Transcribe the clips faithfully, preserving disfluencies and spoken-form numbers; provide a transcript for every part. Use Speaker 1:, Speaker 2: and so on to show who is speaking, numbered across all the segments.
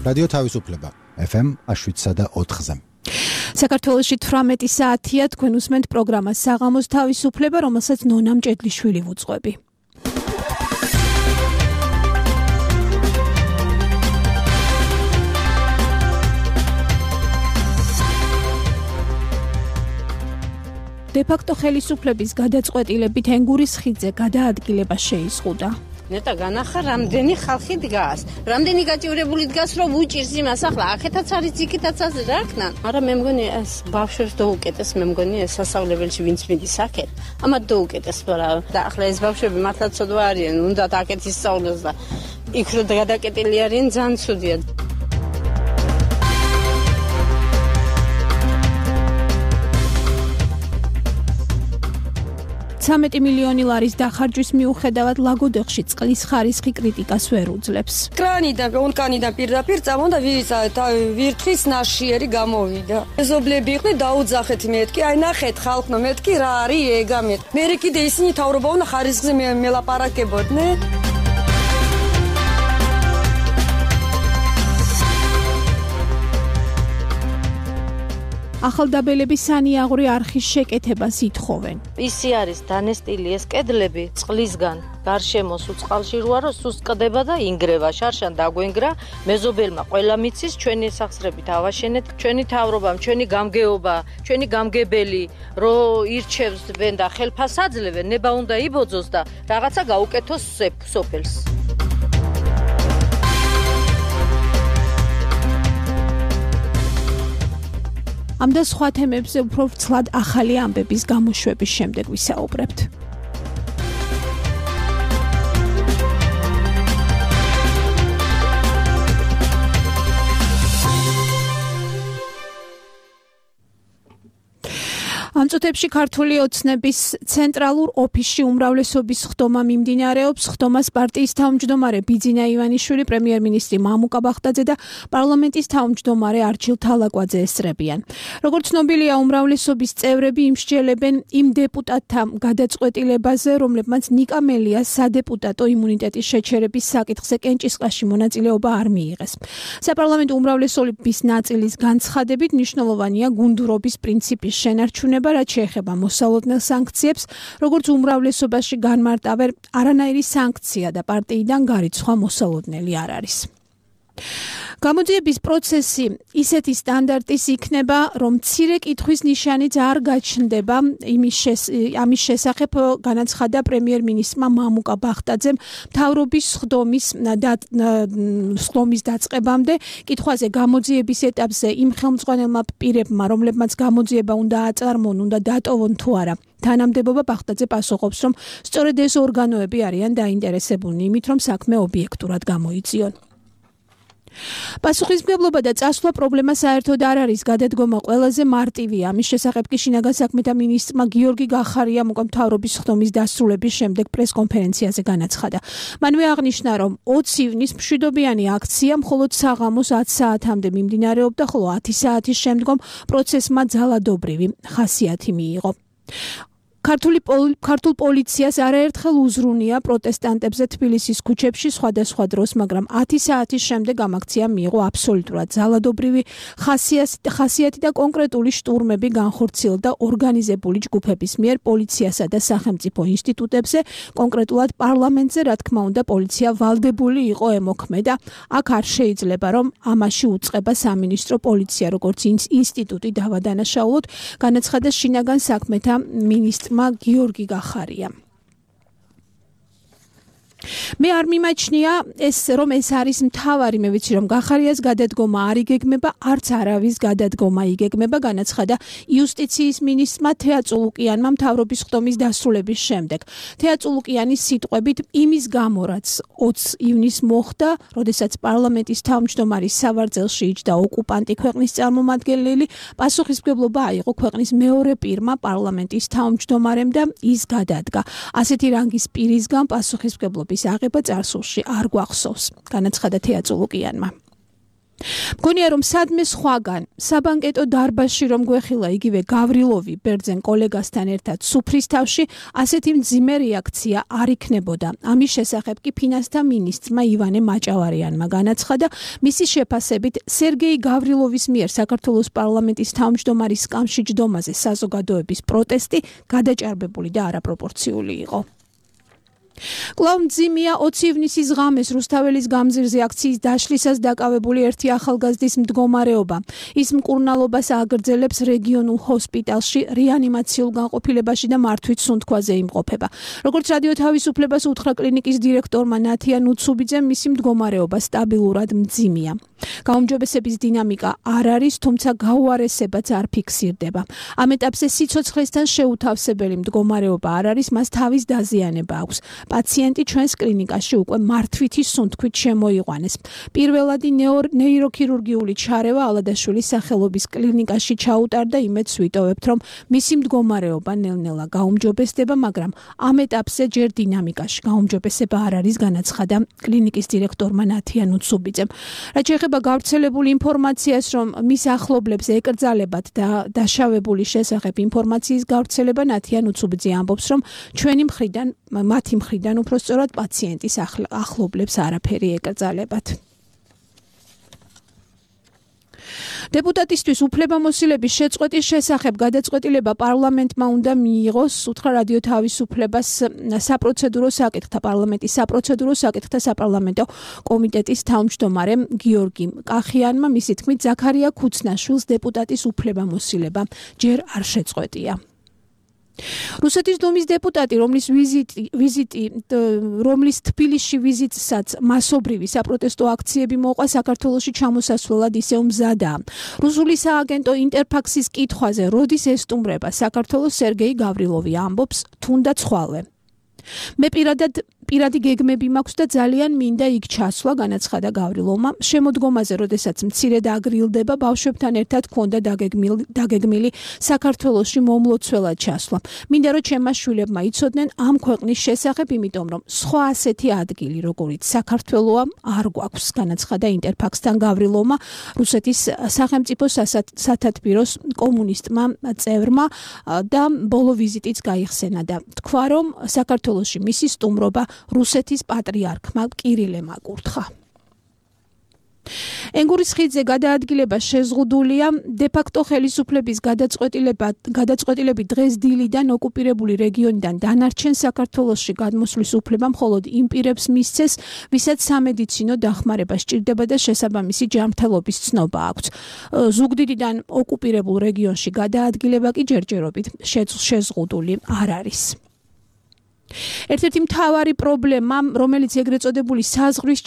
Speaker 1: რადიო თავისუფლება ეფ ემ შვიდსა და ოთხზე.
Speaker 2: საქართველოში თვრამეტი საათია, თქვენ უსმენთ პროგრამას საღამოს თავისუფლება, რომელსაც ნონა მჭედლიშვილი ვუძღვები. დე-ფაქტო ხელისუფლების გადაწყვეტილებით ენგურის ხიდზე გადაადგილება შეიზღუდა.
Speaker 3: ნეტა განახა რამდენი ხალხი დგას, რამდენი გაჭირებული დგას, რომ უჭირს იმას, ახლა აქეთაც არის, იქითაც არის, რა ქნა. მაგრამ მე მგონი ეს ბავშვებს დაუკეტეს, მე მგონი ეს სასწავლებელში ვინც მიდის აქეთ, ამათ დაუკეტეს, რა. და ახლა ეს ბავშვები მართლა ცოდვა არიან, უნდათ აქეთ ისწავლოს და იქ რო გადაკეტილი არიან, ძალიან ცუდია.
Speaker 2: ცამეტი მილიონი ლარის დახარჯვის მიუხედავად ლაგოდეხში წყლის ხარისხი კრიტიკას ვერ უძლებს.
Speaker 4: კრანიდან, ონკანიდან პირდაპირ წამონდა ვირთხის ნაშიერი გამოვიდა. მეზობლები იყვნენ, დაუძახეთ მეთქი, აი ნახეთ ხალხო, მეთქი რა არის ეგა მეთქი. მე კიდე ისინი თავრობა უნდა ხარისხზე მელაპარაკებოდნენ.
Speaker 2: ახალდაბელები სანიაღვრე არხის შეკეთებას ითხოვენ.
Speaker 5: ისი არის დანესტილი ეს კედლები წყლისგან, გარშემო სუწყალში როა რომ სუსტკდება და ინგრევა, შარშან დაგვენგრა, მეზობელმა ყველა მიცის, ჩვენი სახსრებით ავაშენეთ, ჩვენი თავრობამ, ჩვენი გამგეობა, ჩვენი გამგებელი, რო ირჩევს და ხელფას აძლევენ, ნება უნდა იბოძოს და რაღაცა გაუკეთოს სოფელს.
Speaker 2: ამ და სხვა თემებზე უფრო ვრცლად ახალი ამბების გამოშვების შემდეგ ვისაუბრებთ. ამ წუთებში ქართული ოცნების ცენტრალურ ოფისში უმრავლესობის ხდომა მიმდინარეობს. ხდომას პარტიის თავმჯდომარე ბიძინა ივანიშვილი, პრემიერ-მინისტრი მამუკა ბახტაძე და პარლამენტის თავმჯდომარე არჩილ თალაკვაძე ესწრებიან. როგორც ცნობილია, უმრავლესობის წევრები იმსჯელებენ იმ დეპუტატთა გადაწყვეტილებაზე, რომლებმაც ნიკა მელიას სადეპუტატო იმუნიტეტის შეჩერების საკითხზე კენჭისყრაში მონაწილეობა არ მიიღეს. საპარლამენტო უმრავლესობის ნაწილის განცხადებით მნიშვნელოვანია გუნდურობის პრინციპის შენარჩუნება, რაც შეეხება მოსალოდნელ სანქციებს, როგორც უმრავლესობაში განმარტავენ, არანაირი სანქცია და პარტიიდან გარიცხვა მოსალოდნელი არ არის. გამოძიების პროცესი ისეთი სტანდარტის იქნება, რომ მცირე კითხვის ნიშანიც არ გაჩნდება. ამის შესახებ განაცხადა პრემიერ-მინისტრმა მამუკა ბახტაძემ მთავრობის ხდომის ხდომის დაწყებამდე. კითხვაზე გამოძიების ეტაპზე იმ ხელმძღვანელმა პირებმა, რომლებმაც გამოძიება უნდა აწარმოონ, უნდა დატოვონ თუ არა. თანამდებობა ბახტაძე პასუხობს, რომ სწორედ ეს ორგანოები არიან დაინტერესებულნი იმით, რომ საქმე ობიექტურად გამოიწიონ. პასუხისმგებლობა და წასვლა პრობლემა საერთოდ არ არის, გადადგომა ყველაზე მარტივია. ამის შესახებ კი შინაგან საქმეთა მინისტრმა გიორგი გახარიამ უკვე მთავრობის ხდომის დასრულების შემდეგ პრესკონფერენციაზე განაცხადა. მანვე აღნიშნა, რომ ოცი ივნის მშვიდობიანი აქცია მხოლოდ საღამოს ათი საათამდე მიმდინარეობდა, ხოლო ათი საათის შემდგომ პროცესმა ძალადობრივი ხასიათი მიიღო. ქართული ქართულ პოლიციას არაერთხელ უზრუნია პროტესტანტებზე თბილისის ქუჩებში სხვადასხვა დროს, მაგრამ ათი საათის შემდეგ ამ აქციამ მიიღო აბსოლუტურად ძალადობრივი ხასიათი და კონკრეტული შტურმები განხორციელდა ორგანიზებული ჯგუფების მიერ პოლიციასა და სახელმწიფო ინსტიტუტებზე, კონკრეტულად პარლამენტზე, რა თქმა უნდა, პოლიცია ვალდებული იყო ემოქმედა. აქ არ შეიძლება, რომ ამაში უწყება სამინისტრო პოლიცია, როგორც ინსტიტუტი დავადანაშაულოთ, განაცხადა შინაგან საქმეთა მინისტრმა გიორგი გახარია. მე არ მიმაჩნია ეს რომ ეს არის მთავარი, მე ვიცი რომ გახარიას გადადგომა არ იგეგმება, არც არავის გადადგომა იგეგმება, განაცხადა იუსტიციის მინისტრმა თეა წულუკიანმა მთავრობის ხდომის დასრულების შემდეგ. თეა წულუკიანის სიტყვებით, იმის გამო, რაც ოცი ივნის მოხდა, როდესაც პარლამენტის თავმჯდომარის სავარძელში იჯდა ოკუპანტი ქვეყნის წარმომადგენელი, პასუხისმგებლობა აიღო ქვეყნის მეორე პირმა პარლამენტის თავმჯდომარემ და ის გადადგა. ასეთი რანგის პირისგან პასუხისმგებლობის აღება წარსულში არ გვახსოვს, განაცხადა თეა წულუკიანმა. მგონია რომ სადმე სხვაგან საბანკეტო დარბაზში რომ გვეხილა იგივე გავრილოვი ბერძენ კოლეგასთან ერთად სუფრის თავში ასეთი მძიმე რეაქცია არ იქნებოდა. ამის შესახებ კი ფინანსთა მინისტრმა ივანე მაჭავარიანმა განაცხადა, მისი შეფასებით სერგეი გავრილოვის მიერ საქართველოს პარლამენტის თავმჯდომარის სკამში ჯდომაზე საზოგადოების პროტესტი გადაჭარბებული და არაპროპორციული იყო. კვლავ მძიმეა ოცი ივნისის ღამეს რუსთაველის გამზირზე აქციის დაშლისას დაკავებული ერთი ახალგაზრდის მდგომარეობა. ის მკურნალობას აგრძელებს რეგიონულ ჰოსპიტალში რეანიმაციულ განყოფილებაში და მართვით სუნთქვაზე იმყოფება. როგორც რადიო თავისუფლებას უთხრა კლინიკის დირექტორმა ნათია ნუცუბიძემ, მისი მდგომარეობა სტაბილურად მძიმეა. გაუმჯობესების დინამიკა არ არის, თუმცა გაუარესებაც არ ფიქსირდება. ამ ეტაპზე სიცოცხლესთან შეუთავსებელი მდგომარეობა არ არის, მას თავის დაზიანება აქვს. პაციენტი ჩვენს კლინიკაში უკვე მართვითი სუნთქვით შემოიყვანეს. პირველადი ნეიროქირურგიული ჩარევა ალადაშვილის სახელობის კლინიკაში ჩაუტარდა, იმედს ვიტოვებთ, რომ მისი მდგომარეობა ნელ-ნელა გაუმჯობესდება, მაგრამ ამ ეტაპზე ჯერ დინამიკაში გაუმჯობესება არ არის, განაცხადა კლინიკის დირექტორმა ნათია ნუცუბიძემ. რაც შეეხება გავრცელებული ინფორმაციას, რომ მის ახლობლებს ეკრძალებათ და დაშავებული შესახებ ინფორმაციის გავრცელება, ნათია ნუცუბიძე ამბობს, რომ ჩვენი მხრიდან მათი მხრიდან უფრო სწორად პაციენტის ახლობლებს არაფერი ეკრძალებათ. დეპუტატისთვის უფლებამოსილების შეწყვეტის შესახებ გადაწყვეტილება პარლამენტმა უნდა მიიღოს, უთხრა რადიო თავისუფლებას საპროცედურო საკითხთა პარლამენტის საპროცედურო საკითხთა საპარლამენტო კომიტეტის თავმჯდომარემ გიორგი კახიანმა, მისი თქმით, ზაქარია ქუცნაშვილს დეპუტატის უფლებამოსილება ჯერ არ შეწყვეტია. რუსეთის დუმის დეპუტატი, რომლის ვიზიტი ვიზიტი რომლის თბილისში ვიზიტსაც მასობრივი საპროტესტო აქციები მოყვა, საქართველოში ჩამოსასვლელად ისევ მზადაა. რუსული სააგენტო ინტერფაქსის კითხვაზე, როდის ესტუმრება საქართველოს, სერგეი გავრილოვი ამბობს, თუნდაც ხვალე. მე პირადად პირადი გეგმები მაქვს და ძალიან მინდა იქ ჩასვლა, განაცხადა გავრილოვმა. შემოდგომაზე, როდესაც მცირე დაგრილდება, ბავშვებთან ერთად ქონდა დაგეგმილი საქართველოში მომლოცველად ჩასვლა. მინდა რომ ჩემმა შვილებმა იცოდნენ ამ ქვეყნის შესახებ, იმიტომ რომ სხვა ასეთი ადგილი, როგორიც საქართველოა, არ გვაქვს, განაცხადა ინტერფაქსთან გავრილოვმა, რუსეთის სახელმწიფო სათათბიროს კომუნისტმა წევრმა და ბოლო ვიზიტიც გაიხსენა და თქვა, რომ საქართველოში მისი სტუმრობა რუსეთის პატრიარქმა კირილემ აკურთხა. ენგურის ხიდზე გადაადგილება შეზღუდულია, დე-ფაქტო ხელისუფლების გადაწყვეტილებით დღეს დილიდან ოკუპირებული რეგიონიდან დანარჩენ საქართველოში გადმოსვლის უფლება მხოლოდ იმ პირებს მისცეს, ვისაც სამედიცინო დახმარება სჭირდება და შესაბამისი ჯანმრთელობის ცნობა აქვს. ზუგდიდიდან ოკუპირებულ რეგიონში გადაადგილება კი ჯერჯერობით შეზღუდული არ არის. ერთ-ერთი მთავარი პრობლემა, რომელიც ეგრეთ წოდებული საზღვრის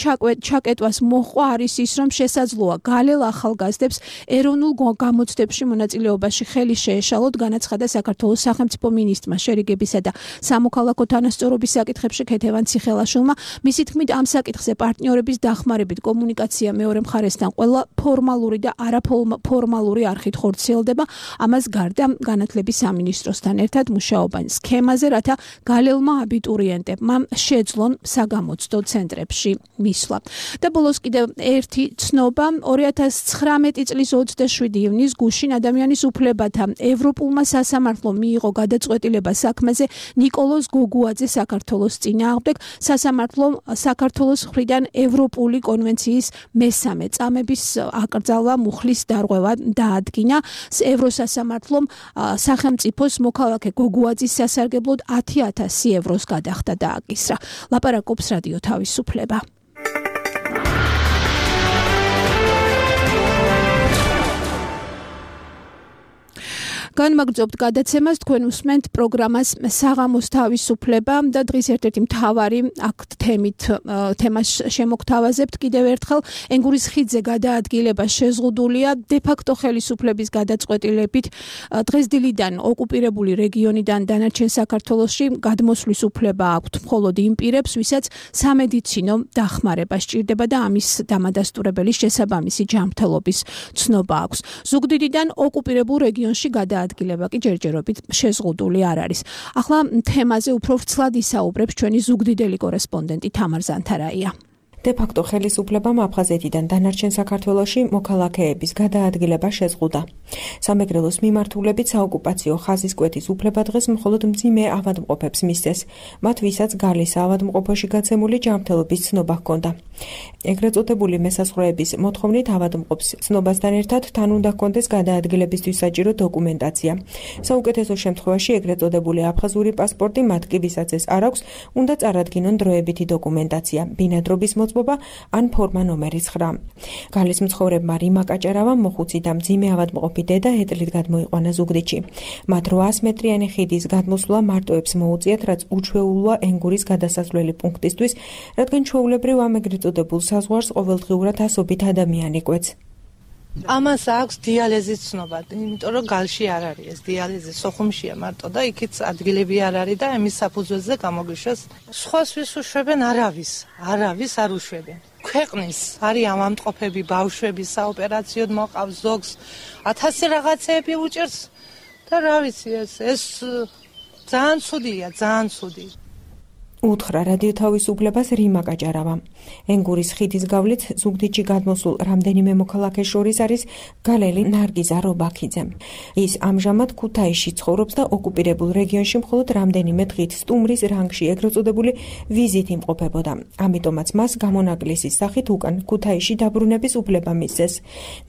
Speaker 2: ჩაკეტვას მოჰყვა, არის ის, რომ შესაძლოა გალელ ახალგაზრდებს ეროვნულ გამოცდებში მონაწილეობაში ხელი შეეშალოთ, განაცხადა საქართველოს სახელმწიფო მინისტრმა შერიგებისა და სამოქალაქო თანასწორობის საკითხებში ქეთევან ციხელაშვილმა. მისი თქმით, ამ საკითხზე პარტნიორების დახმარებით კომუნიკაცია მეორე მხარესთან ყველა ფორმალური და არაფორმალური არხით ხორციელდება. ამას გარდა განათლების სამინისტროსთან ერთად მუშაობენ სქემაზე, რათა გალელმა აბიტურიენტებმა შეძლონ საგამოცდო ცენტრებში მისვლა. და ბოლოს კიდევ ერთი ცნობა, ორი ათას ცხრამეტი წლის ოცდაშვიდი ივნის გუშინ ადამიანის უფლებათა ევროპულმა სასამართლომ მიიღო გადაწყვეტილება საქმეზე ნიკოლოზ გოგუაძე საქართველოს წინააღმდეგ. სასამართლომ საქართველოს მხრიდან ევროპული კონვენციის მესამე წამების აკრძალვა მუხლის დარღვევა დაადგინა. ევროსასამართლომ სახელმწიფოს მოქალაქე გოგუაძის სასარგებლოდ ათი ათასი ევროს გადახდა და აკისრა. ლაპარაკობს რადიო თავისუფლება. განმაგრძობთ გადაცემას, თქვენ უსმენთ პროგრამას საღამოს თავისუფლება და დღის ერთ-ერთი მთავარი აქ თემით თემას შემოგთავაზებთ კიდევ ერთხელ. ენგურის ხიდზე გადაადგილება შეზღუდულია, დე-ფაქტო ხელისუფლების გადაწყვეტილებით დღეს დილიდან ოკუპირებული რეგიონიდან დანარჩენ საქართველოში გადმოსვლის უფლება აქვთ მხოლოდ იმ პირებს, ვისაც სამედიცინო დახმარება სჭირდება და ამის დამადასტურებელი შესაბამისი ჯანმრთელობის ცნობა აქვს. ზუგდიდიდან ოკუპირებულ რეგიონში გადაადგილება ადგილება კი ჯერჯერობით შეზღუდული არ არის. ახლა თემაზე უფრო ვრცლად ისაუბრებს ჩვენი ზუგდიდელი კორესპონდენტი თამარ ზანთარაია.
Speaker 6: დე-ფაქტო ხელისუფლებამ აფხაზეთიდან დანარჩენ საქართველოში მოქალაქეების გადაადგილება შეზღუდა. სამეგრელოს მიმართულებით საოკუპაციო ხაზის კვეთის უფლება დღეს მხოლოდ მძიმე ავადმყოფებს მისცეს, მათ ვისაც გალის ავადმყოფოში გაცემული ჯანმრთელობის ცნობა ჰქონდა. ეგრეთ წოდებული მესაზღვრეების მოთხოვნით ავადმყოფს ცნობასთან ერთად თან უნდა ჰქონდეს გადაადგილებისთვის საჭირო დოკუმენტაცია. საუკეთესო შემთხვევაში ეგრეთ წოდებული აფხაზური პასპორტი, მათ კი ვისაც ეს არ აქვს, უნდა წარადგინონ დროებითი დოკუმენტაცია, ბინადრობის მოწმობა ან ფორმა ნომერი ცხრა. გალის მცხოვრებმა რივმა კაჭარავამ მოხუცი და მძიმე ავადმყოფი დედა ეტლით გადმოიყვანა ზუგდიდში. მათ რვაას მეტრიანი ხიდის გადმოსვლა მარტოებს მოუწიათ, რაც უჩვეულოა ენგურის გადასასვლელი პუნქტისთვის, რადგან ჩვეულებრივ ამ ეგრეთ წოდებულ საზღვარს ყოველდღიურად ასობით ადამიანი კვეთს.
Speaker 7: ამას აქვს დიალეზის ცნობა, იმიტომ რომ გალში არ არის ეს დიალეზი, სოხუმშია მარტო და იქით ადგილები არ არის და ამის საფუძველზე გამოგვიშვეს. სხვას ვის უშვებენ, არავის, არავის არ უშვებენ. ქვეყნის არის ამამტყოფები, ბავშვები საოპერაციოდ მოყავს ზოგს, ათასი რაღაცეები უჭერს და რა ვიცი ეს ეს ძალიან ცუდია, ძალიან ცუდი.
Speaker 6: უთხრა რადიო თავისუფლებას რივმა კაჭარავამ. ენგურის ხიდის გავლით ზუგდიდში გადმოსულ რამდენიმე მოქალაქეს შორის არის გალელი ნარგიზა რობაქიძე. ის ამჟამად ქუთაისში ცხოვრობს და ოკუპირებულ რეგიონში მხოლოდ რამდენიმე დღით სტუმრის რანგში ეგრეთ წოდებული ვიზით იმყოფებოდა. ამიტომაც მას გამონაკლისის სახით უკან ქუთაისში დაბრუნების უფლება მისცეს.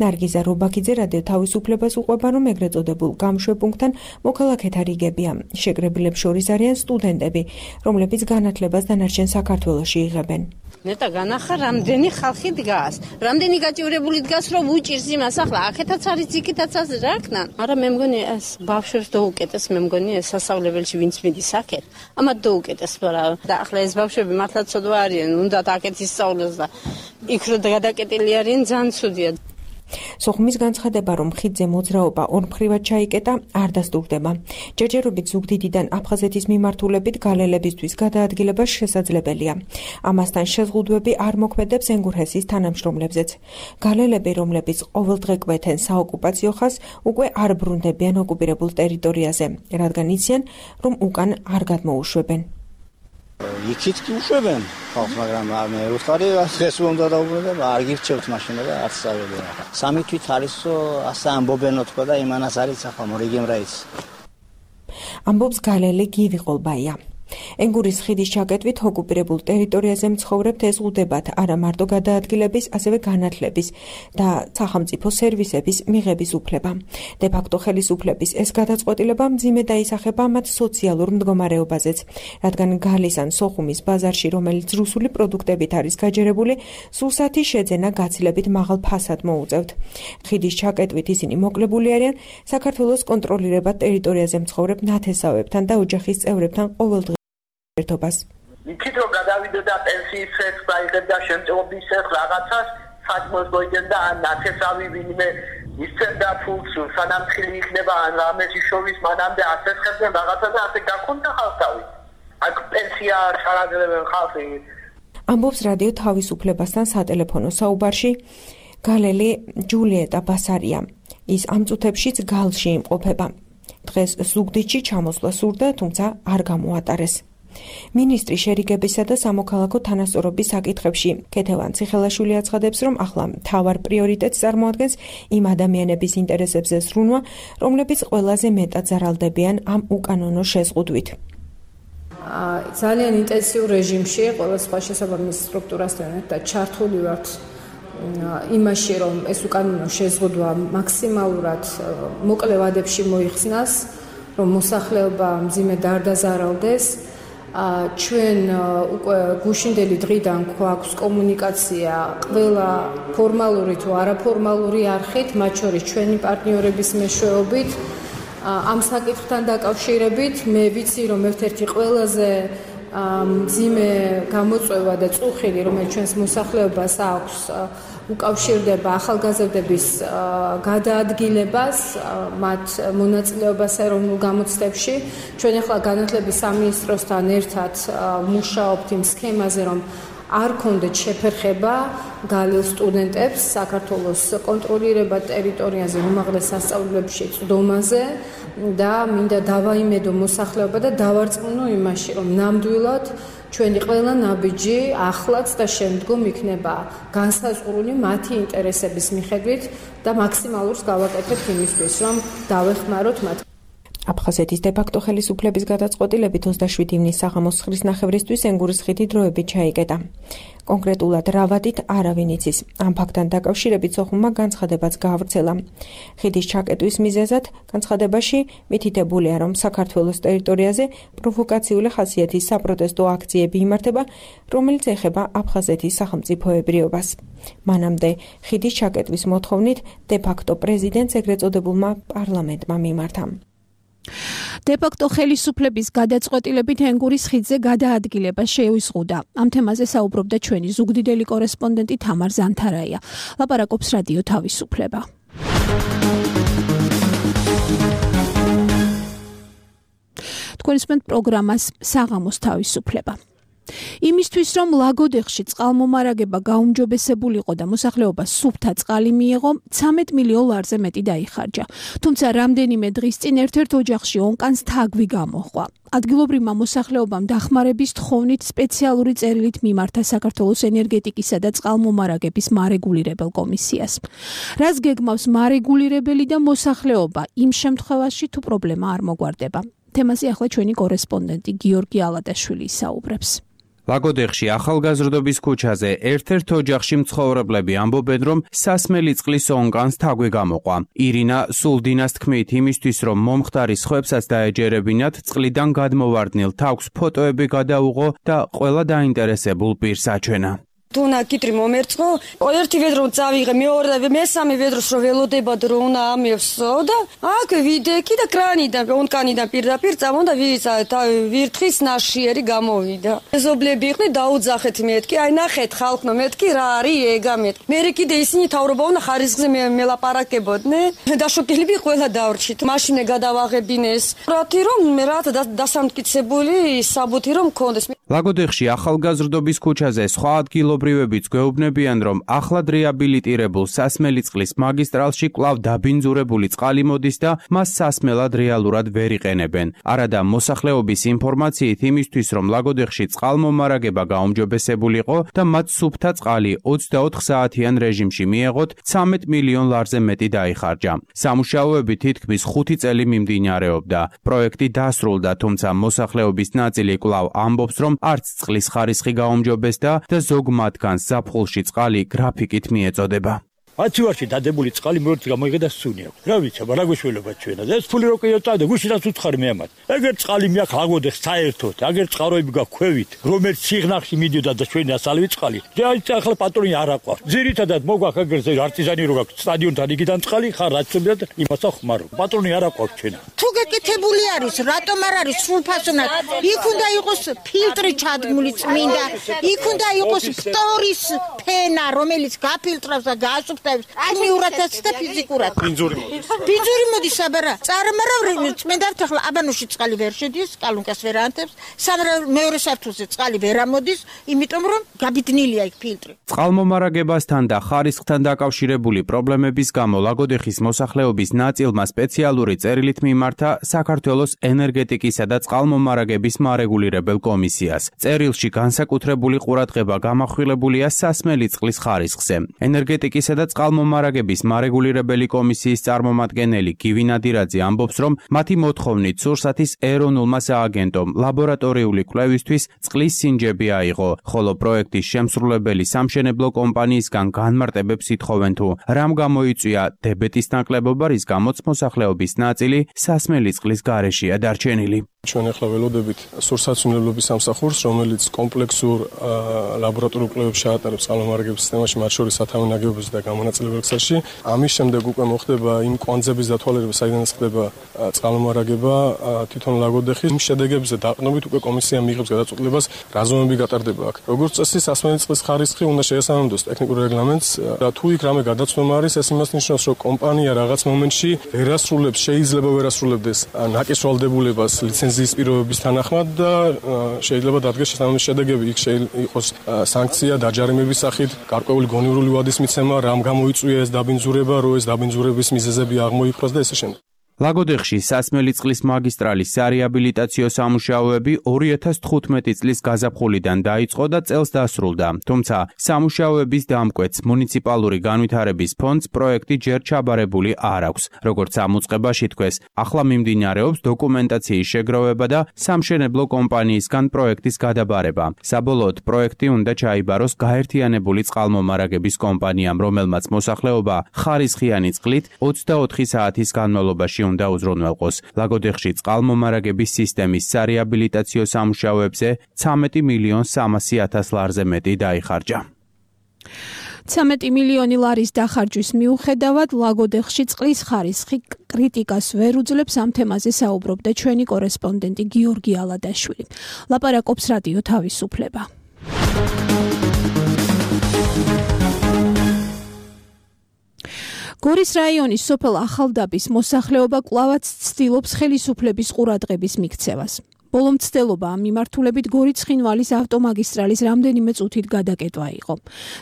Speaker 6: ნარგიზა რობაქიძე რადიო თავისუფლებას უყვება, რომ ეგრეთ წოდებულ გამშვებუნქტთან მოქალაქეთა რიგებია. შეკრებილებს შორის არიან სტუდენტები, რომლებიც განათლებას დანარჩენ საქართველოში იღებენ.
Speaker 3: ნეტა განახა რამდენი ხალხი დგას, რამდენი გაჭირებული დგას, რომ უჭირს იმას, ახლა აქეთაც არის, იქითაც არის, რა ქნა. არა, მე მგონი ეს ბავშვებს დაუკეტეს, მე მგონი ეს სასწავლებელში ვინც მიდის აქეთ, ამათ დაუკეტეს, მაგრამ და ახლა ეს ბავშვები მართლა ცოდვა არიან, უნდათ აქეთ ისწავლოს და იქ რო გადაკეტილი არიან, ძალიან ცუდია.
Speaker 6: სოხუმის განცხადება, რომ ხიდზე მოძრაობა ორმხრივად ჩაიკეტა, არ დასტურდება. ჯერჯერობით ზუგდიდიდან აფხაზეთის მიმართულებით გალელებისთვის გადაადგილება შესაძლებელია. ამასთან შეზღუდვები არ მოქმედებს ენგურჰესის თანამშრომლებზეც. გალელები, რომლებიც ყოველდღე კვეთენ საოკუპაციო ხაზს, უკვე არ ბრუნდებიან ოკუპირებულ ტერიტორიაზე, რადგან იციან, რომ უკან არ გადმოუშვებენ.
Speaker 8: იქით კი უშვებენ ხალხს, მაგრამ მე ვიხარი ეს უნდა დაუბრუნდე, არ გირჩევთ მაშინ და არც წავედი. სამი თვით არისო ასე ამბობენო თქვა და იმანას არის ახლა მორიგემ რაიც.
Speaker 6: ამბობს გალელი გივი ყოლბაია. ენგურის ხიდის ჩაკეტვით ოკუპირებულ ტერიტორიაზე მცხოვრებთ ეზღუდებათ არა მარტო გადაადგილების, ასევე განათლების და სახელმწიფო სერვისების მიღების უფლება. დე-ფაქტო ხელისუფლების ეს გადაწყვეტილება მძიმე დაისახება მათ სოციალურ მდგომარეობაზეც, რადგან გალის ან სოხუმის ბაზარში, რომელიც რუსული პროდუქტებით არის გაჯერებული, სურსათი შეძენა გაცილებით მაღალ ფასად მოუწევთ. ხიდის ჩაკეტვით ისინი მოკლებული არიან საქართველოს კონტროლირებად ტერიტორიაზე მცხოვრებ ნათესავებთან და ოჯახის წევრებთან ყოველდღიურ ერთობას.
Speaker 9: იქით რომ გადავიდე და პენსიის წელს დაიღებ და შემწეობის წელს რაღაცას საქმეს მოიგებ და ან ნათესავი ვინმე ისწრებდა ფულს, სანამ ხილი იქნება ან რამეს იშოვის, მანამდე აცეცხებდნენ რაღაცა და ასე გაქონდა ხალხი. აქ პენსია ჩარაგდებენ ხალხი.
Speaker 6: ამბობს რადიო თავისუფლებასთან სატელეფონო საუბარში გალელი ჯულიეტა ბასარია. ის ამ წუთებშიც გალში იმყოფება. დღეს ზუგდიდში ჩამოსვლა სურდა, თუმცა არ გამოატარეს. მინისტრი შერიგებისა და სამოქალაქო თანასწორობის საკითხებში ქეთევან ციხელაშვილი აცხადებს, რომ ახლა მთავარ პრიორიტეტს წარმოადგენს იმ ადამიანების ინტერესებზე ზრუნვა, რომლებიც ყველაზე მეტად ზარალდებიან ამ უკანონო შეზღუდვით.
Speaker 10: ძალიან ინტენსიურ რეჟიმში ყველა სხვა შესაბამის სტრუქტურასთან ერთად ჩართული ვართ იმაში, რომ ეს უკანონო შეზღუდვა მაქსიმალურად მოკლე ვადებში მოიხსნას, რომ მოსახლეობა მძიმედ არ დაზარალდეს. ჩვენ უკვე გუშინდელი დღიდან გვაქვს კომუნიკაცია ყველა ფორმალური თუ არაფორმალური არხით, მათ შორის ჩვენი პარტნიორების მეშვეობით. ამ საკითხთან დაკავშირებით მე ვიცი, რომ ერთ-ერთი ყველაზე მძიმე გამოწვევა და წუხილი, რომელიც ჩვენს მოსახლეობას აქვს, უკავშირდება ახალგაზრდების გადაადგილებას, მათ მონაწილეობას ეროვნულ გამოცდებში. ჩვენ ახლა განათლების სამინისტროსთან ერთად მუშაობთ იმ სქემაზე, რომ არ ქონდეთ შეფერხება გალილ სტუდენტებს საქართველოს კონტროლირება ტერიტორიაზე უმაღლეს სასწავლებლებში წვდომაზე და მინდა დავაიმედო მოსახლეობა და დავარწმუნო იმაში, რომ ნამდვილად ჩვენი ყველა ნაბიჯი ახლაც და შემდგომ იქნება განსაზღვრული მათი ინტერესების მიხედვით და მაქსიმალურს გავაკეთებთ იმისთვის, რომ დავეხმაროთ მათ.
Speaker 6: აფხაზეთის დე-ფაქტო ხელისუფლების გადაწყვეტილებით ოცდაშვიდი ივნის საღამოს ცხრის ნახევრისთვის ენგურის ხიდი დროებით ჩაიკეტა. კონკრეტულად რა ვადით არავინ იცის. ამ ფაქტთან დაკავშირებით სოხუმმა განცხადებაც გაავრცელა. ხიდის ჩაკეტვის მიზეზად განცხადებაში მითითებულია, რომ საქართველოს ტერიტორიაზე პროვოკაციული ხასიათის საპროტესტო აქციები იმართება, რომელიც ეხება აფხაზეთის სახელმწიფოებრიობას. მანამდე ხიდის ჩაკეტვის მოთხოვნით დე-ფაქტო პრეზიდენტს ეგრეთ წოდებულმა პარლამენტმა მიმართა.
Speaker 2: დე-ფაქტო ხელისუფლების გადაწყვეტილებით ენგურის ხიდზე გადაადგილება შეუზღუდა. ამ თემაზე საუბრობდა ჩვენი ზუგდიდელი კორესპონდენტი თამარ ზანთარაია. ლაპარაკობს რადიო თავისუფლება. თქვენსმენთ პროგრამას საღამოს თავისუფლება. იმისთვის, რომ ლაგოდეხში წყალმომარაგება გაუმჯობესებულიყო და მოსახლეობას სუფთა წყალი მიეღო, ცამეტ მილიონ ლარზე მეტი დაიხარჯა. თუმცა რამდენიმე დღის წინ ერთ-ერთ ოჯახში ონკანს თაგვი გამოჰყვა. ადგილობრივმა მოსახლეობამ დახმარების თხოვნით სპეციალური წერილით მიმართა საქართველოს ენერგეტიკისა და წყალმომარაგების მარეგულირებელ კომისიას. რას გეგმავს მარეგულირებელი და მოსახლეობა იმ შემთხვევაში, თუ პრობლემა არ მოგვარდება. თემაზე ახლა ჩვენი კორესპონდენტი გიორგი ალადაშვილი ისაუბრებს.
Speaker 11: ლაგოდეხში ახალგაზრდობის ქუჩაზე ერთ-ერთ ოჯახში მცხოვრებლები ამბობენ, რომ სასმელი წყლის ონკანს თაგვი გამოყვა. ირინა სულდინას თქმით, იმისთვის, რომ მომხდარი სხვებსაც დაეჯერებინათ, წყლიდან გადმოვარდნილ თაგვს ფოტოები გადაუღო და ყველა დაინტერესებულ პირს აჩვენა.
Speaker 4: თუნა კიტრი მომერწყო, ერთი ვედრო წავიღე, მეორე და მესამე ვედროს რო ველოდებად რო უნდა ამევსო და აქ ვიდექი და კრანიდან, ონკანიდან პირდაპირ წამონდა ვირისა და ვირთხის ნაშიერი გამოვიდა. მეზობლები იყვნენ, დაუძახეთ მეთქი, აი ნახეთ ხალხო, მეთქი რა არის ეგა მეთქი. მე კიდე ისინი თავრობა უნდა ხარისხზე მელაპარაკებოდნენ და შოკილები ყველა დავრჩით. მაშინე გადავაღებინეს. რათი რომ მე რა დასამტკიცებული საბუთი რომ მქონდეს.
Speaker 11: ლაგოდეხში ახალგაზრდობის ქუჩაზე სხვა ადგილობრივებიც გვეუბნებიან, რომ ახლად რეაბილიტირებულ სასმელი წყლის მაგისტრალში კვლავ დაბინძურებული წყალი მოდის და მას სასმელად რეალურად ვერ იყენებენ. არადა მოსახლეობის ინფორმაციით იმისთვის, რომ ლაგოდეხში წყალმომარაგება გაუმჯობესებულიყო და მათ სუფთა წყალი ოცდაოთხ საათიან რეჟიმში მიეღოთ, ცამეტ მილიონ ლარზე მეტი დაიხარჯა. სამუშაოები თითქმის ხუთი წელი მიმდინარეობდა. პროექტი დასრულდა, თუმცა მოსახლეობის ნაწილი კვლავ ამბობს, რომ არც წყლის ხარისხი გაუმჯობესდა და ზოგ მათგანს ზაფხულში წყალი გრაფიკით მიეწოდება.
Speaker 12: ათივარში დადებული წყალი მორც გამოიღე და სუნი აქვს. რა ვიცი, აბა რა გვეშველობა ჩვენა. ეს ფული რო კიოწავდა, გუშინაც უცხარი მე ამათ. ეგერ წყალი მეაქ ლაგოდეხ საერთოდ, აგერ წყაროები გაქვევით, რომელიც სიღნაღში მიდიოდა და ჩვენი ასალივი წყალი. და ახლა პატრონი არ აყვავს. ძირითადად მოგვაქვს ეგერზე არტიზანი რო გაქვს სტადიონთან იგიდან წყალი, ხარ რაცობია და იმას ახმარო. პატრონი არ აყვავს ჩვენა.
Speaker 13: თუ გეკეთებული არის, რატომ არ არის სრულფასოვნად? იქ უნდა იყოს ფილტრი ჩადგმული წმინდა, იქ უნდა იყოს ფტორის ფენა, რომელიც გაფილტრავს და გაასუფთავებს ქიმიურადაც და ფიზიკურად.
Speaker 12: ბინძური.
Speaker 13: ბინძური მოდის აბარა. წარმარავ წმენდავთ ახლა აბანოში წყალი ვერ შედის, კალუნკას ვერ ანთებს, სამრავ მეორე საფრთხეზე წყალი ვერ ამოდის, იმიტომ რომ გაბედნილია იქ ფილტრი.
Speaker 11: წყალმომარაგებასთან და ხარისხთან დაკავშირებული პრობლემების გამო ლაგოდეხის მოსახლეობის ნაწილმა სპეციალური წერილით მიმართა საქართველოს ენერგეტიკისა და წყალმომარაგების მარეგულირებელ კომისიას. წერილში განსაკუთრებული ყურადღება გამახვილებულია სასმელი წყლის ხარისხზე. ენერგეტიკისა და წყალმომარაგების მარეგულირებელი კომისიის წარმომადგენელი გივი ნადირაძე ამბობს, რომ მათი მოთხოვნით სურსათის ეროვნულმა სააგენტომ ლაბორატორიული კვლევისთვის წყლის სინჯები აიღო, ხოლო პროექტის შემსრულებელი სამშენებლო კომპანიისგან განმარტებებს ითხოვენ თუ რამ გამოიწვია დებეტის ნაკლებობა, რის გამოც მოსახლეობის ნაწილი სასმელი წყლის გარეშეა დარჩენილი.
Speaker 14: ჩვენ ახლა ველოდებით სურსათმცემლობის სამსახურს, რომელიც კომპლექსურ ლაბორატორიულ კვლევებს შეატარებს წყალმომარაგების სისტემაში, მათ შორის სათავე ნაგებობებზე და გამონაწილებელ ქსელში. ამის შემდეგ უკვე მოხდება იმ კვანძების დათვალიერება, საიდანაც ხდება წყალმომარაგება თვითონ ლაგოდეხის. იმ შედეგებზე დაყრდნობით უკვე კომისია მიიღებს გადაწყვეტილებას, რა ზომები გატარდება აქ. როგორც წესი, სასმელი წყლის ხარისხი უნდა შეესაბამებოს ტექნიკურ რეგლამენტს. თუ იქ რამე გადაცვლა არის, ეს იმას ნიშნავს, რომ კომპანია რაღაც მომენტში ვერ ასრულებს, შეიძლება ვერ ასრულებდეს ნაკისვალდებულებას, ლიცენზიის ლიცენზიის პირობების თანახმად და შეიძლება დადგეს შესაბამისი შედეგები. იქ იყოს სანქცია, დაჯარიმების სახით, გარკვეული გონივრული ვადის მიცემა, რამ გამოიწვია ეს დაბინძურება, რომ ეს დაბინძურების მიზეზები აღმოიფხვრას და ესე შემდეგ.
Speaker 11: ლაგოდეხში სასმელი წყლის მაგისტრალის სარეაბილიტაციო სამუშაოები ორი ათას თხუთმეტი წლის გაზაფხულიდან დაიწყო და წელს დასრულდა. თუმცა სამუშაოების დამკვეთს მუნიციპალური განვითარების ფონდს პროექტი ჯერ ჩაბარებული არ აქვს. როგორც ამოწყებაში თქვეს, ახლა მიმდინარეობს დოკუმენტაციის შეგროვება და სამშენებლო კომპანიისგან პროექტის გადაბარება. საბოლოოდ პროექტი უნდა ჩაიბაროს გაერთიანებული წყალმომარაგების კომპანიამ, რომელმაც მოსახლეობა ხარისხიანი წყლით ოცდაოთხი საათის განმავლობაში უნდა უზრუნველყოს. ლაგოდეხში წყალმომარაგების სისტემის სარეაბილიტაციო სამუშაოებზე ცამეტი მილიონ სამასი ათას ლარზე მეტი დაიხარჯა.
Speaker 2: ცამეტი მილიონი ლარის დახარჯვის მიუხედავად ლაგოდეხში წყლის ხარისხი კრიტიკას ვერ უძლებს. ამ თემაზე საუბრობდა ჩვენი კორესპონდენტი გიორგი ალადაშვილი. ლაპარაკობს რადიო თავისუფლება. გორის რაიონის სოფელ ახალდაბის მოსახლეობა კვლავაც ცდილობს ხელისუფლების ყურადღების მიქცევას. ბოლო მცდელობა ამ მიმართულებით გორიც-ცხინვალის ავტომაგისტრალის რამდენიმე წუთით გადაკეტვა იყო.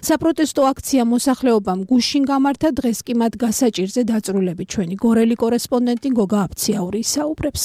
Speaker 2: საპროტესტო აქცია მოსახლეობამ გუშინ გამართა, დღეს კი მათ გასაჭირზე დაწვრილებით ჩვენი გორელი კორესპონდენტი გოგა აფციაური ისაუბრებს.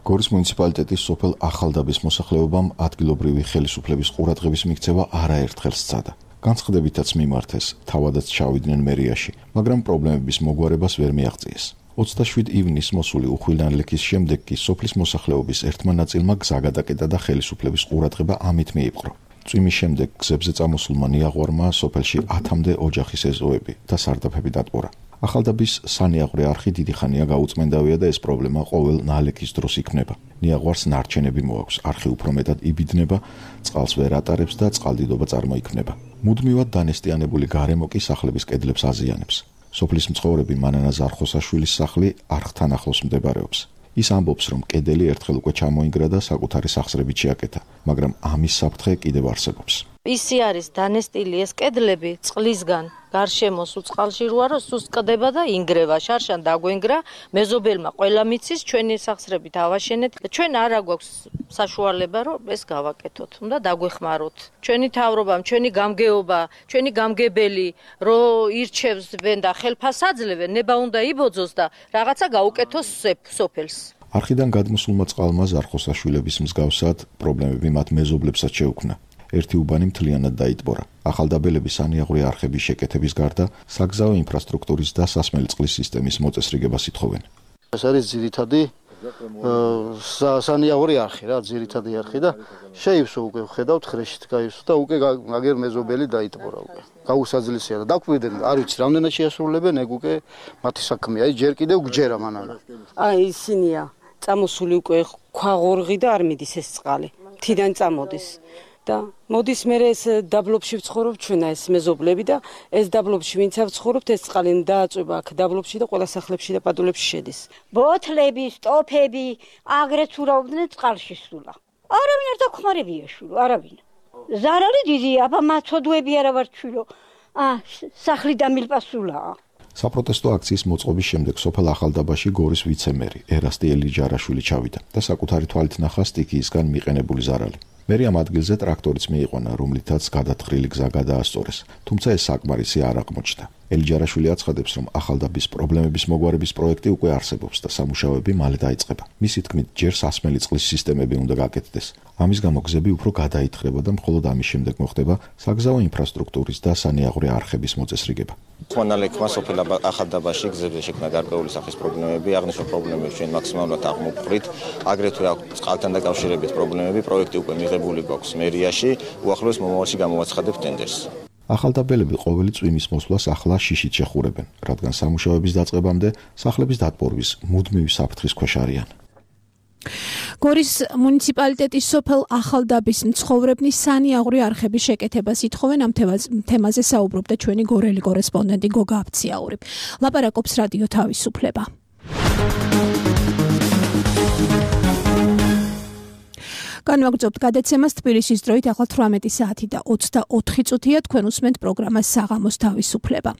Speaker 15: გორის მუნიციპალიტეტის სოფელ ახალდაბის მოსახლეობამ ადგილობრივი ხელისუფლების ყურადღების მიქცევა არაერთხელ სცადა. განცხადებითაც მიმართეს, თავადაც ჩავიდნენ მერიაში, მაგრამ პრობლემების მოგვარებას ვერ მიაღწიეს. ოცდაშვიდი ივნის მოსული უხილნალექის შემდეგ კი სოფლის მოსახლეობის ერთმა ნაწილმა გზა გადაკეტა და ხელისუფლების ყურადღება ამით მიიპყრო. წვიმის შემდეგ გზებზე წამოსულმა ნიაღვარმა სოფელში ათამდე ოჯახის ეზოები და სარდაფები დატყურა. ახალდაბის სანიაღვრე არხი დიდი ხანია გაუწმენდავია და ეს პრობლემა ყოველ ნალექის დროს იქმნება. ნიაღვარს ნარჩენები მოაქვს, არხი უფრო მეტად იბიძნება, წყალს ვერ ატარებს და წყალდიდობა წარმოიქმნება. მუდმივად დანესტიანებული გარემო კი სახლების კედლებს აზიანებს. სოფლის მცხოვრები მანანა ზარხოსაშვილის სახლი არხთან ახლოს მდებარეობს. ის ამბობს, რომ კედელი ერთხელ უკვე ჩამოინგრა და საკუთარი სახსრებით შეაკეთა, მაგრამ ამის საფრთხე კიდევ არსებობს.
Speaker 5: ისი არის დანესტილი ეს კედლები წყლისგან გარშემო სულ წყალში როა რომ სულ სკდება და ინგრევა, შარშან დაგვენგრა, მეზობელმა ყველა მიცის, ჩვენი სახსრებით ავაშენეთ. ჩვენ არა გვაქვს საშუალება რომ ეს გავაკეთოთ, უნდა დაგვეხმაროთ. ჩვენი თავრობამ, ჩვენი გამგეობა, ჩვენი გამგებელი რო ირჩევსბენ და ხელფას აძლევენ, ნება უნდა იბოძოს და რაღაცა გაუკეთოს სოფელს.
Speaker 15: არხიდან გადმოსულმა წყალმა ზარხოსაშვილების მსგავსად პრობლემები მათ მეზობლებსაც შეუქმნა. ერთი უბანი მთლიანად დაიტბორა. ახალდაბელები სანიაღვრე არხების შეკეთების გარდა საგზაო ინფრასტრუქტურის და სასმელი წყლის სისტემის მოწესრიგებას ითხოვენ.
Speaker 16: ეს არის ძირითადი სანიაღვრე არხი რა, ძირითადი არხი და შეივსო უკვე ხედავთ ხრეშით გაივსო და უკვე აგერ მეზობელი დაიტბორა უკვე. გაუსაძლისია და დაკვირდნენ, არ ვიცი რამდენად შეასრულებენ, ეგ უკვე მათი საქმეა, ჯერ კიდევ გჯერა მანანა.
Speaker 17: აი ისინია წამოსული უკვე ქვაღორღი და არ მიდის ეს წყალი. თიდან წამოდის. და მოდის მე ეს დაბლობში ვცხოვრობ ჩვენა ეს მეზობლები და ეს დაბლობში ვინც ავცხოვრობთ ეს წყალი დააწובה აქ დაბლობში და ყველა სახლებში და პადულებში შედის.
Speaker 18: ბოთლები, სტოფები, აგრეთ ურავდნენ წყალში სულა. არავინ არ დაგხმარებია შვილო, არავინ. ზარალი დიდია, აბა მაცოდვები არა ვარ შვილო. ა სახლი დამილპასულა.
Speaker 15: საპროტესტო აქციის მოწყობის შემდეგ სოფელ ახალდაბაში გორის ვიცემერი ერასტი ელიჯარაშვილი ჩავიდა და საკუთარი თვალით ნახა სტიქიისგან მიყენებული ზარალი. მერი ამ ადგილზე ტრაქტორიც მიიყვანა, რომლითაც გადათხრილი გზა გადაასწორეს, თუმცა ეს საკმარისი არ აღმოჩნდა. ელიჯარაშვილი აცხადებს, რომ ახალდაბის პრობლემების მოგვარების პროექტი უკვე არსებობს და სამუშაოები მალე დაიწყება. მისი თქმით, ჯერ სასმელი წყლის სისტემები უნდა გაკეთდეს. ამის გამო გზები უფრო გადაითხრება და მხოლოდ ამის შემდეგ მოხდება საგზაო ინფრასტრუქტურის და სანიაღვრე არხების მოწესრიგება.
Speaker 19: ხმანალექმა სოფელ ახალდაბაში გზებზე შექმნა გარკვეული სახის პრობლემები, აღნიშნულ პრობლემებს ჩვენ მაქსიმალურად აღმოვყვრით, აგრეთვე წყალთან დაკავშირებით პრობლემები, პროექტი უკვე მიღებული გვაქვს მერიაში, უახლოეს მომავალში გამოვაცხადებთ ტენდერს. ახალდაბელები ყოველი წვიმის მოსვლას ახლა შიშით შეხურებენ, რადგან სამუშაოების დაწყებამდე სახლების დატბორვის მუდმივი საფრთხის ქვეშ არიან.
Speaker 2: გორის მუნიციპალიტეტის სოფელ ახალდაბის მცხოვრებნი სანიაღვრე არხების შეკეთებას ითხოვენ. ამ თემაზე საუბრობდა ჩვენი გორელი კორესპონდენტი გოგა აფციაური. ლაპარაკობს რადიო თავისუფლება. განვაგრძობთ გადაცემას თბილისის დროით ახლა თვრამეტი საათი და ოცდაოთხი წუთია. თქვენ უსმენთ პროგრამას საღამოს თავისუფლება.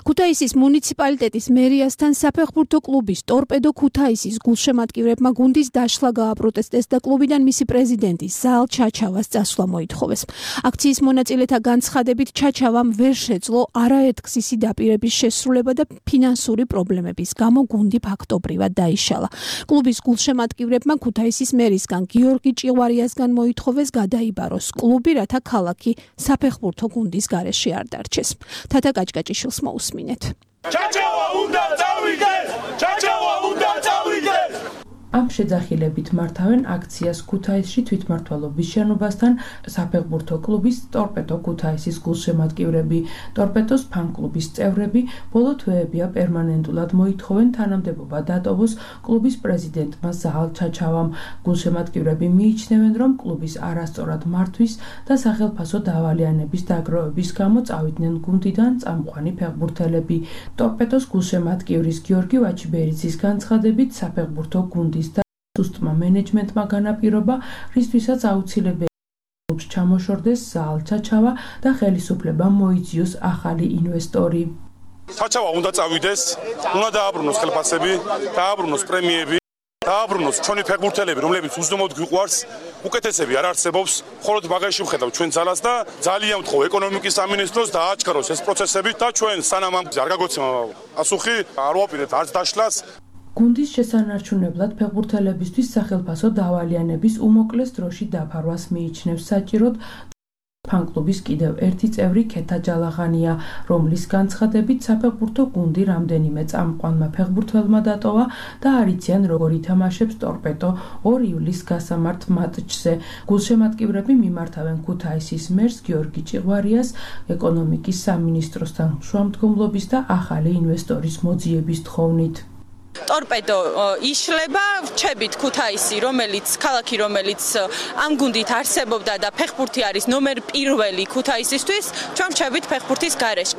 Speaker 2: ქუთაისის მუნიციპალიტეტის მერიასთან საფეხბურთო კლუბის ტორპედო ქუთაისის გულშემატკივრებმა გუნდის დაშლა გააპროტესტეს და კლუბიდან მისი პრეზიდენტი ზაალ ჩაჩავას წასვლა მოითხოვეს. აქციის მონაწილეთა განცხადებით ჩაჩავამ ვერ შეძლო არაერთგზისი დაპირების შესრულება და ფინანსური პრობლემების გამო გუნდი ფაქტობრივად დაიშალა. კლუბის გულშემატკივრებმა ქუთაისის მერისგან გიორგი ჭიღვარიასგან მოითხოვეს გადაიბაროს კლუბი, რათა ქალაქი საფეხბურთო გუნდის გარეშე არ დარჩეს. თათა კაჭკაჭიშვილს მოусმინეთ.
Speaker 20: ჩაჩავა უნდა წავიდეს! ჩაჩავა უნდა წავიდეს!
Speaker 21: ამ შეძახილებით მართავენ აქციას ქუთაისში თვითმმართველობის შენობასთან საფეხბურთო კლუბის ტორპედო ქუთაისის გულშემატკივრები. ტორპედოს ფან-კლუბის წევრები ბოლო თვეებია პერმანენტულად მოითხოვენ თანამდებობა დატოვოს კლუბის პრეზიდენტმა ზაალ ჩაჩავამ. გულშემატკივრები მიიჩნევენ, რომ კლუბის არასწორად მართვის და სახელფასო დავალიანების დაგროვების გამო წავიდნენ გუნდიდან წამყვანი ფეხბურთელები. ტორპედოს გულშემატკივრის გიორგი ვაჩიბერიძის განცხადებით საფეხბურთო გუნდის სუსტმა მენეჯმენტმა განაპირობა, რისთვისაც აუცილებელია კლუბს ჩამოშორდეს ზაალ ჩაჩავა და ხელისუფლებამ მოიძიოს ახალი ინვესტორი.
Speaker 20: ჩაჩავა უნდა წავიდეს, უნდა დააბრუნოს ხელფასები, დააბრუნოს პრემიები, დააბრუნოს ჩვენი ფეხბურთელები, რომლებიც უზომოდ გვიყვარს, უკეთესები არ არსებობს, მხოლოდ მაგაში ვხედავ ჩვენ ძალას და ძალიან ვთხოვ ეკონომიკის სამინისტროს დააჩქაროს ეს პროცესები და ჩვენ სანამ ამ არ გაგოცემა პასუხი, არ ვაპირებთ არც დაშლას.
Speaker 21: გუნდის შესანარჩუნებლად ფეხბურთელებისთვის სახელფასო დავალიანების უმოკლეს დროში დაფარვას მიიჩნევს საჭიროდ ფან-კლუბის კიდევ ერთი წევრი ქეთა ჯალაღანია, რომლის განცხადებით საფეხბურთო გუნდი რამდენიმე წამყვანმა ფეხბურთელმა დატოვა და არ იციან როგორ ითამაშებს ტორპედო ორი ივლისს გასამართ მატჩზე. გულშემატკივრები მიმართავენ ქუთაისის მერს გიორგი ჭიღვარიას ეკონომიკის სამინისტროსთან შუამდგომლობის და ახალი ინვესტორის მოძიების თხოვნით.
Speaker 22: ტორპედო იშლება, ვჩებით ქუთაისი, რომელიც ქალაქი, რომელიც ამ გუნდით არსებობდა და ფეხბურთი არის ნომერ პირველი ქუთაისისთვის, ჩვენ ვჩებით ფეხბურთის გარეშე.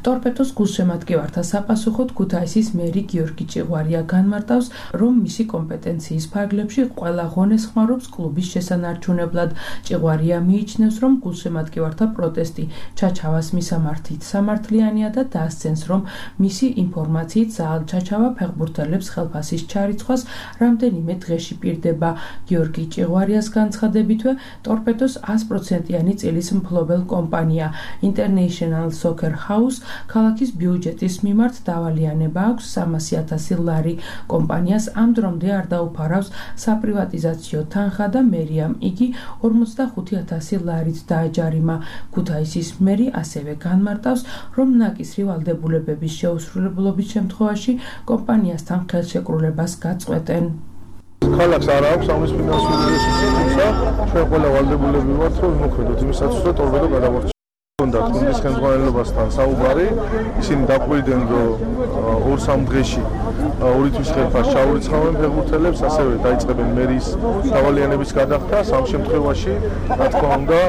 Speaker 21: ტორპედოს გულშემატკივართა საპასუხოდ ქუთაისის მერი გიორგი ჭიღვარია განმარტავს, რომ მისი კომპეტენციის ფარგლებში ყველა ღონეს ხმარობს კლუბის შესანარჩუნებლად. ჭიღვარია მიიჩნევს, რომ გულშემატკივართა პროტესტი ჩაჩავას მისამართით სამართლიანია და დასცენს, რომ მისი ინფორმაციით ზაალ ჩაჩავა ფეხბურთელებს ხელფასის ჩარიცხვას რამდენიმე დღეში პირდება. გიორგი ჭიღვარიას განცხადებითვე, ტორპედოს ას პროცენტიანი წილის მფლობელ კომპანია International Soccer House ქალაქის ბიუჯეტის მიმართ დავალიანება აქვს სამასი ათასი ლარი. კომპანიას ამ დრომდე არ დაუფარავს საპრივატიზაციო თანხა და მერიამ იგი ორმოცდახუთი ათასი ლარით დააჯარიმა. ქუთაისის მერი ასევე განმარტავს, რომ ნაკისრი ვალდებულებების შეუსრულებლობის შემთხვევაში კომპანიასთან ხელშეკრულებას გაწყვეტენ.
Speaker 14: ქალაქს არ აქვს ამის ფინანსური რესურსი, თუმცა ჩვენ ყველა ვალდებულები ვართ, რომ ვიმოქმედოთ იმისათვის, რომ ტორპედო გადავარჩინოთ. უნდა გუნდის ხელმძღვანელობასთან საუბარი, ისინი დაკვირდნენ, რომ ორ-სამ დღეში ორი თვის ხელფასს ჩაურიცხავენ ფეხბურთელებს, ასევე დაიწყებენ მერის დავალიანების გადახდა. ამ შემთხვევაში, რა თქმა უნდა,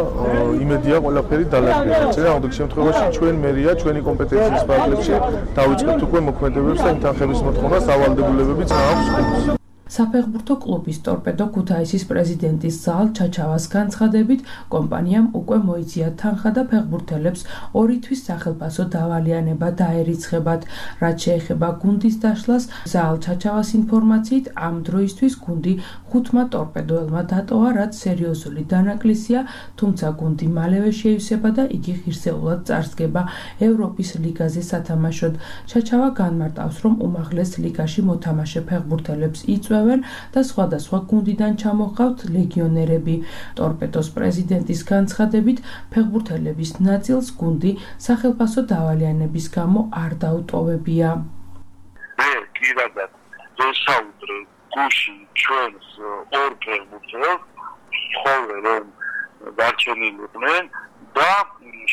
Speaker 14: იმედია ყველაფერი დალაგდება. წინააღმდეგ შემთხვევაში ჩვენ მერია ჩვენი კომპეტენციის ფარგლებში დავიწყებთ უკვე მოქმედებებს და იმ თანხების მოთხოვნას დავალდებულებებიც აქვს გუნდს.
Speaker 21: საფეხბურთო კლუბის ტორპედო ქუთაისის პრეზიდენტის ზაალ ჩაჩავას განცხადებით, კომპანიამ უკვე მოიწია თანხა და ფეხბურთელებს ორი თვის სახელფასო დავალიანება დაერიცხებათ. რაც შეეხება გუნდის დაშლას, ზაალ ჩაჩავას ინფორმაციით, ამ დროისთვის გუნდი ხუთმა ტორპედოელმა დატოვა, რაც სერიოზული დანაკლისია, თუმცა გუნდი მალევე შეივსება და იგი ღირსეულად წარსდგება ევროპის ლიგაზე სათამაშოდ. ჩაჩავა განმარტავს, რომ უმაღლეს ლიგაში მოთამაშე ფეხბურთელებს იწვევენ და სხვადასხვა გუნდიდან ჩამოჰყავთ ლეგიონერები. ტორპედოს პრეზიდენტის განცხადებით, ფეხბურთელების ნაწილს გუნდი სახელფასო დავალიანების გამო არ დაუტოვებია.
Speaker 23: მე პირადად ვესაუბრე გუში ჩვენს ორ ფეხბურთელს, ხოლმე რომ დარჩენილიყვნენ და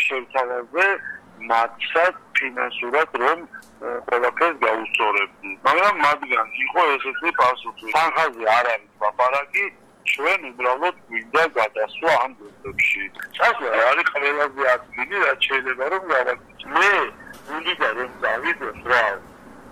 Speaker 23: შევთავაზე მათსაც ფინანსურად რომ ყველაფერს გაუსწორებდი. მაგრამ მათგან იყო ესეთი პასუხი. თანხაზე არ არის ლაპარაკი, ჩვენ უბრალოდ გვინდა გადასვლა ამ გუნდებში. წასვლა არის ყველაზე ადგილი, რაც შეიძლება რომ გავაკეთო. მე გუნდიდან რომ დავიდოს რა,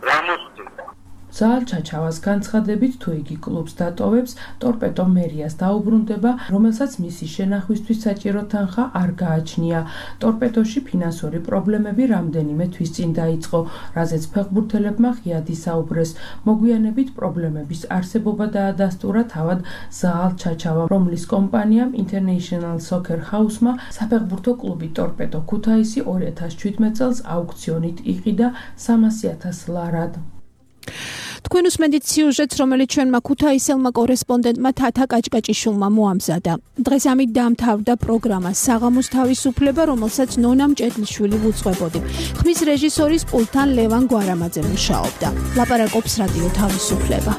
Speaker 23: რა მოხდება?
Speaker 21: ზაალ ჩაჩავას განცხადებით, თუ იგი კლუბს დატოვებს, ტორპედო მერიას დაუბრუნდება, რომელსაც მისი შენახვისთვის საჭირო თანხა არ გააჩნია. ტორპედოში ფინანსური პრობლემები რამდენიმე თვის წინ დაიწყო, რაზეც ფეხბურთელებმა ღიად ისაუბრეს. მოგვიანებით პრობლემების არსებობა დაადასტურა თავად ზაალ ჩაჩავამ, რომლის კომპანიამ International Soccer House-მა საფეხბურთო კლუბი ტორპედო ქუთაისი ორი ათას შვიდმეტ წელს აუქციონით იყიდა სამასი ათას ლარად.
Speaker 2: თქვენ უსმენთ სიუჟეტს, რომელიც ჩვენმა ქუთაისელმა კორესპონდენტმა თათა კაჭკაჭიშვილმა მოამზადა. დღეს ამით დაამთავრდა პროგრამა საღამოს თავისუფლება, რომელსაც ნონა მჭედლიშვილი უძღვებოდი. ხმის რეჟისორის პულტთან ლევან გვარამაძე მუშაობდა. ლაპარაკობს რადიო თავისუფლება.